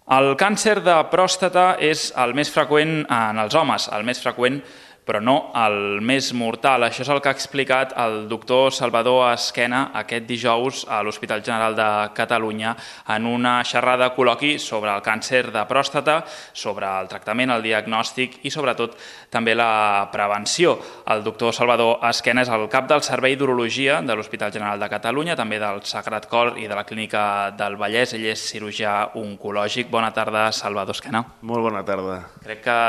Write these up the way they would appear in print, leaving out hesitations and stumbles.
El càncer de pròstata és el més freqüent en els homes, el més freqüent però no el més mortal. Això és el que ha explicat el doctor Salvador Esquena aquest dijous a l'Hospital General de Catalunya en una xerrada col·loqui sobre el càncer de pròstata, sobre el tractament, el diagnòstic i sobretot també la prevenció. El doctor Salvador Esquena és el cap del Servei d'Urologia de l'Hospital General de Catalunya, també del Sagrat Cor i de la Clínica del Vallès. Ell és cirurgià oncològic. Bona tarda, Salvador Esquena. Molt bona tarda. Crec que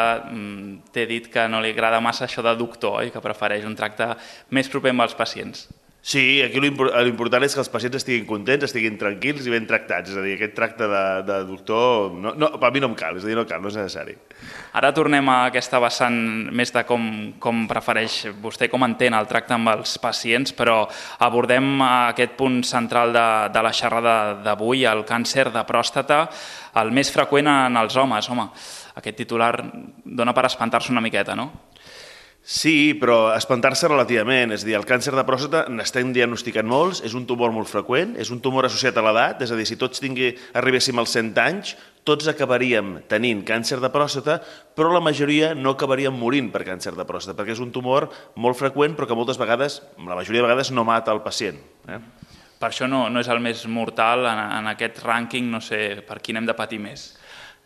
t'he dit que no li agrada massa això de doctor, oi? Que prefereix un tracte més proper amb els pacients. Sí, aquí l'important és que els pacients estiguin contents, estiguin tranquils i ben tractats. És a dir, aquest tracte de doctor, a mi no em cal, és a dir, no cal, no és necessari. Ara tornem a aquesta vessant més de com prefereix vostè, com entén el tracte amb els pacients, però abordem aquest punt central de la xerrada d'avui, el càncer de pròstata, el més freqüent en els homes. Home, aquest titular dona per espantar-se una miqueta, no? Sí, però espantar-se relativament. És a dir, el càncer de pròstata n'estem diagnosticant molts, és un tumor molt freqüent, és un tumor associat a l'edat, és a dir, si tots arribéssim als 100 anys, tots acabaríem tenint càncer de pròstata, però la majoria no acabaríem morint per càncer de pròstata, perquè és un tumor molt freqüent, però que moltes vegades, la majoria de vegades, no mata el pacient. Per això no és el més mortal en aquest rànquing, no sé per quin hem de patir més.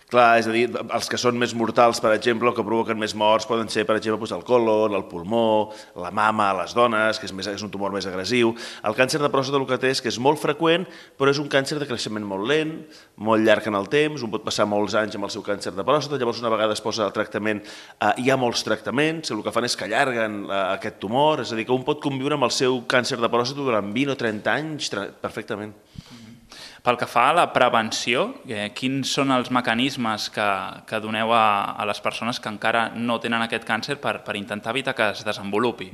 Clar, és a dir, els que són més mortals, per exemple, o que provoquen més morts, poden ser, per exemple, el còlon, el pulmó, la mama a les dones, que és un tumor més agressiu. El càncer de pròstata el que té és que és molt freqüent, però és un càncer de creixement molt lent, molt llarg en el temps, un pot passar molts anys amb el seu càncer de pròstata, llavors una vegada es posa el tractament, hi ha molts tractaments, el que fan és que allarguen aquest tumor, és a dir, que un pot conviure amb el seu càncer de pròstata durant 20 o 30 anys perfectament. Pel que fa a la prevenció, quins són els mecanismes que doneu a les persones que encara no tenen aquest càncer per intentar evitar que es desenvolupi?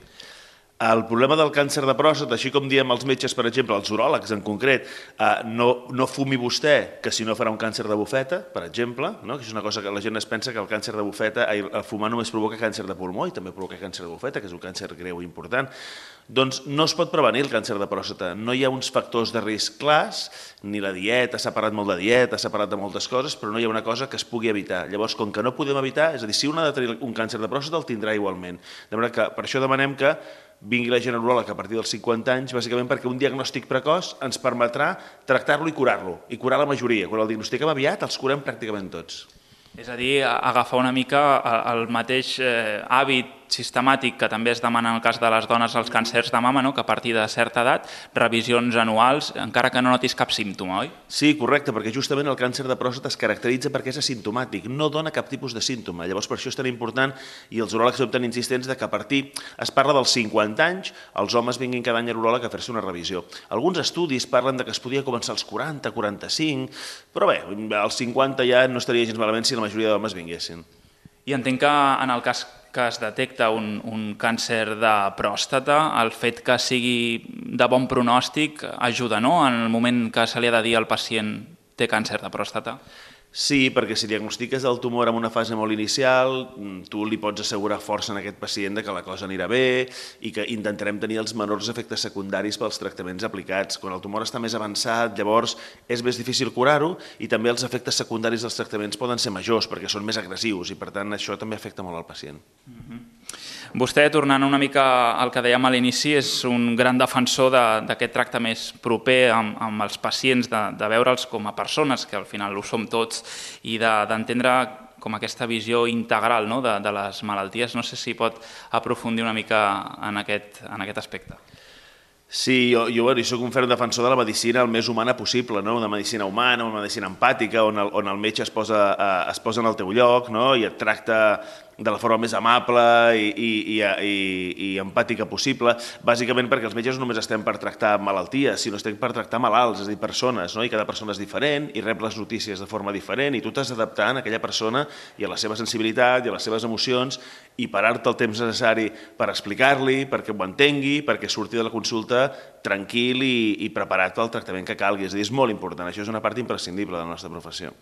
El problema del càncer de pròstata, així com diem els metges, per exemple, els uròlegs en concret, no fumi vostè, que si no farà un càncer de bufeta, per exemple, que és una cosa que la gent es pensa que el càncer de bufeta, el fumar només provoca càncer de pulmó i també provoca càncer de bufeta, que és un càncer greu i important. Doncs no es pot prevenir el càncer de pròstata. No hi ha uns factors de risc clars, ni la dieta, s'ha parlat molt de dieta, s'ha parlat de moltes coses, però no hi ha una cosa que es pugui evitar. Llavors, com que no podem evitar, és a dir, si un ha de tenir un càncer de pròstata, el tindrà igualment. De manera que per això demanem que vingui la gent uròleg a partir dels 50 anys, bàsicament perquè un diagnòstic precoç ens permetrà tractar-lo i curar la majoria. Quan el diagnostiquem aviat, els curem pràcticament tots. És a dir, agafar una mica el mateix hàbit sistemàtic que també es demana en el cas de les dones als càncers de mama, que a partir de certa edat, revisions anuals, encara que no notis cap símptoma, oi? Sí, correcte, perquè justament el càncer de pròstata es caracteritza perquè és asimptomàtic, no dona cap tipus de símptoma. Llavors, per això és tan important, i els uròlegs són tan insistents, que a partir, es parla dels 50 anys, els homes vinguin cada any a l'uròleg a fer-se una revisió. Alguns estudis parlen que es podia començar als 40, 45, però bé, als 50 ja no estaria gens malament si la majoria d'homes vinguessin. I entenc que en el cas que es detecta un càncer de pròstata, el fet que sigui de bon pronòstic ajuda, no?, en el moment que se li ha de dir al pacient té càncer de pròstata. Sí, perquè si diagnostiques el tumor en una fase molt inicial, tu li pots assegurar força en aquest pacient que la cosa anirà bé i que intentarem tenir els menors efectes secundaris pels tractaments aplicats. Quan el tumor està més avançat, llavors és més difícil curar-ho i també els efectes secundaris dels tractaments poden ser majors perquè són més agressius i per tant això també afecta molt al pacient. Vostè, tornant una mica al que dèiem a l'inici, és un gran defensor d'aquest tracte més proper amb els pacients, de veure'ls com a persones, que al final ho som tots, i d'entendre com aquesta visió integral de les malalties. No sé si pot aprofundir una mica en aquest aspecte. Sí, jo soc un ferm defensor de la medicina el més humana possible, una medicina humana, una medicina empàtica, on el metge es posa en el teu lloc i et tracta de la forma més amable i empàtica possible, bàsicament perquè els metges no només estem per tractar malalties, sinó estem per tractar malalts, és a dir, persones, i cada persona és diferent i rep les notícies de forma diferent i tu t'has d'adaptar a aquella persona i a la seva sensibilitat i a les seves emocions i parar-te el temps necessari per explicar-li, perquè ho entengui, perquè surti de la consulta tranquil i preparat pel tractament que calgui. És a dir, és molt important, això és una part imprescindible de la nostra professió.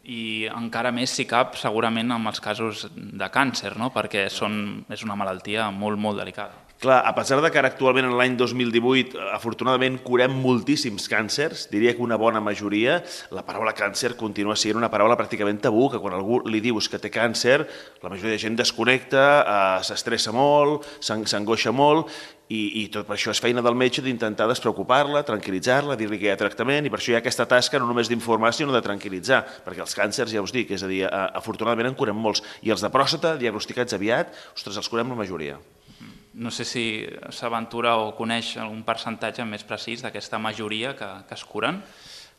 I encara més, si cap, segurament amb els casos de càncer, perquè és una malaltia molt, molt delicada. Clar, a pesar de que ara actualment en l'any 2018 afortunadament curem moltíssims càncers, diria que una bona majoria, la paraula càncer continua sent una paraula pràcticament tabú, que quan algú li dius que té càncer, la majoria de gent desconnecta, s'estressa molt, s'angoixa molt, i tot per això és feina del metge d'intentar despreocupar-la, tranquil·litzar-la, dir-li que hi ha tractament, i per això hi ha aquesta tasca no només d'informar, sinó de tranquil·litzar, perquè els càncers, ja us dic, és a dir, afortunadament en curem molts, i els de pròstata, diagnosticats aviat, ostres, els curem la majoria. No sé si s'aventura o coneix algun percentatge més precís d'aquesta majoria que es curen.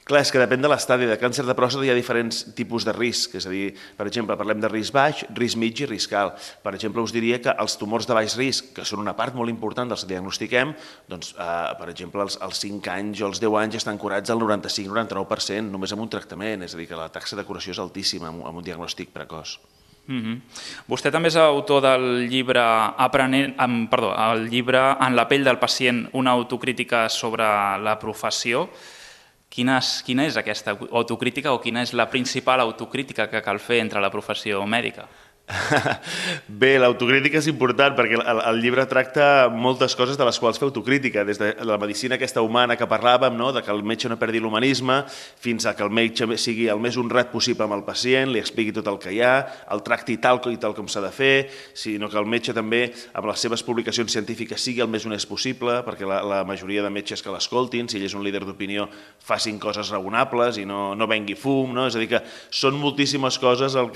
Clar, és que depèn de l'estadi. De càncer de pròstata hi ha diferents tipus de risc, és a dir, per exemple, parlem de risc baix, risc mig i risc alt. Per exemple, us diria que els tumors de baix risc, que són una part molt important dels que diagnostiquem, doncs, per exemple, als 5 anys o als 10 anys estan curats al 95-99%, només amb un tractament, és a dir, que la taxa de curació és altíssima amb un diagnòstic precoç. Vostè també és autor del llibre el llibre En la pell del pacient, una autocrítica sobre la professió. Quina és aquesta autocrítica o quina és la principal autocrítica que cal fer entre la professió mèdica? Bé, l'autocrítica és important perquè el llibre tracta moltes coses de les quals fer autocrítica, des de la medicina aquesta humana que parlàvem, no? De que el metge no perdi l'humanisme, fins a que el metge sigui el més honrat possible amb el pacient, li expliqui tot el que hi ha, el tracti tal com s'ha de fer, sinó que el metge també, amb les seves publicacions científiques, sigui el més honest possible, perquè la majoria de metges que l'escoltin, si ell és un líder d'opinió, facin coses raonables i no vengui fum, no? És a dir, que són moltíssimes coses el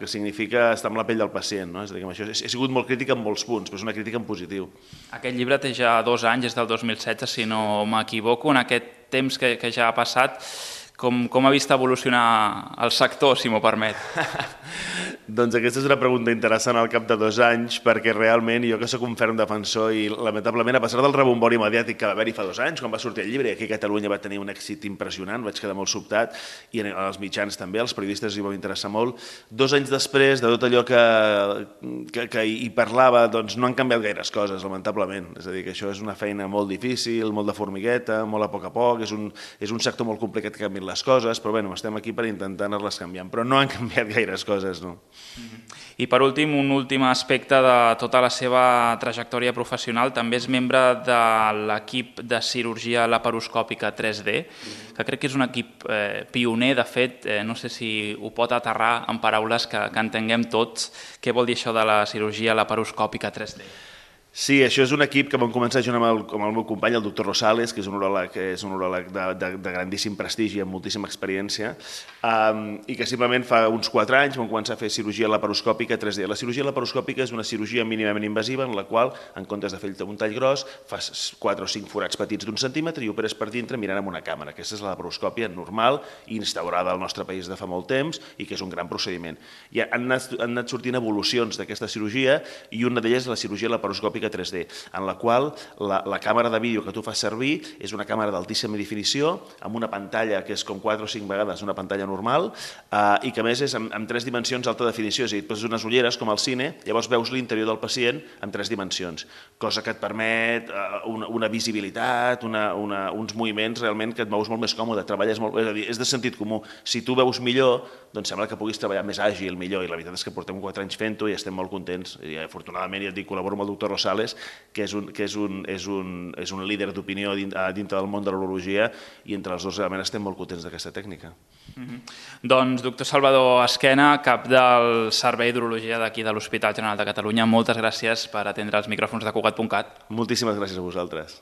que significa estar amb la pell del pacient, no? És a dir, que amb això he sigut molt crític en molts punts, però és una crítica en positiu. Aquest llibre té ja 2 anys, és del 2016, si no m'equivoco. En aquest temps que ja ha passat, com ha vist evolucionar el sector, si m'ho permet? Doncs aquesta és una pregunta interessant al cap de 2 anys, perquè realment jo que sóc un ferm defensor i lamentablement a pesar del rebombori mediàtic que va haver-hi fa 2 anys, quan va sortir el llibre, i aquí a Catalunya va tenir un èxit impressionant, vaig quedar molt sobtat, i als mitjans també, als periodistes hi va interessar molt. 2 anys després de tot allò que hi parlava, doncs no han canviat gaires coses, lamentablement. És a dir, que això és una feina molt difícil, molt de formigueta, molt a poc, és un sector molt complicat que canviïn les coses, però bueno, estem aquí per intentar anar-les canviant, però no han canviat gaires coses, no. I per últim, un últim aspecte de tota la seva trajectòria professional, també és membre de l'equip de cirurgia laparoscòpica 3D, que crec que és un equip pioner, de fet, no sé si ho pot aterrar en paraules que entenguem tots, què vol dir això de la cirurgia laparoscòpica 3D? Sí, això és un equip que vam començar junt amb el meu company, el doctor Rosales, que és un uròleg de grandíssim prestigi, amb moltíssima experiència, i que simplement fa uns 4 anys vam començar a fer cirurgia laparoscòpica 3D. La cirurgia laparoscòpica és una cirurgia mínimament invasiva en la qual, en comptes de fer-te un tall gros, fas 4 o 5 forats petits d'1 centímetre i operes per dintre mirant amb una càmera. Aquesta és la laparoscòpia normal i instaurada al nostre país de fa molt temps i que és un gran procediment. I han anat sortint evolucions d'aquesta cirurgia i una d'elles és la cirurgia laparoscòpica 3D, en la qual la càmera de vídeo que tu fas servir és una càmera d'altíssima definició, amb una pantalla que és com 4 o 5 vegades una pantalla normal, i que a més és en 3 dimensions d'alta definició, és a dir, et poses unes ulleres com al cine, llavors veus l'interior del pacient en 3 dimensions, cosa que et permet una visibilitat, uns moviments realment que et mous molt més còmode, treballes molt, és a dir, és de sentit comú. Si tu veus millor, doncs sembla que puguis treballar més àgil, millor, i la veritat és que portem 4 anys fent-ho i estem molt contents, i afortunadament, ja et dic, col·laboro amb el doctor Rosales, que és un líder d'opinió dintre del món de l'urologia, i entre els dos realment estem molt contents d'aquesta tècnica. Doncs, doctor Salvador Esquena, cap del Servei d'Urologia d'aquí de l'Hospital General de Catalunya, moltes gràcies per atendre els micròfons de Cugat.cat. Moltíssimes gràcies a vosaltres.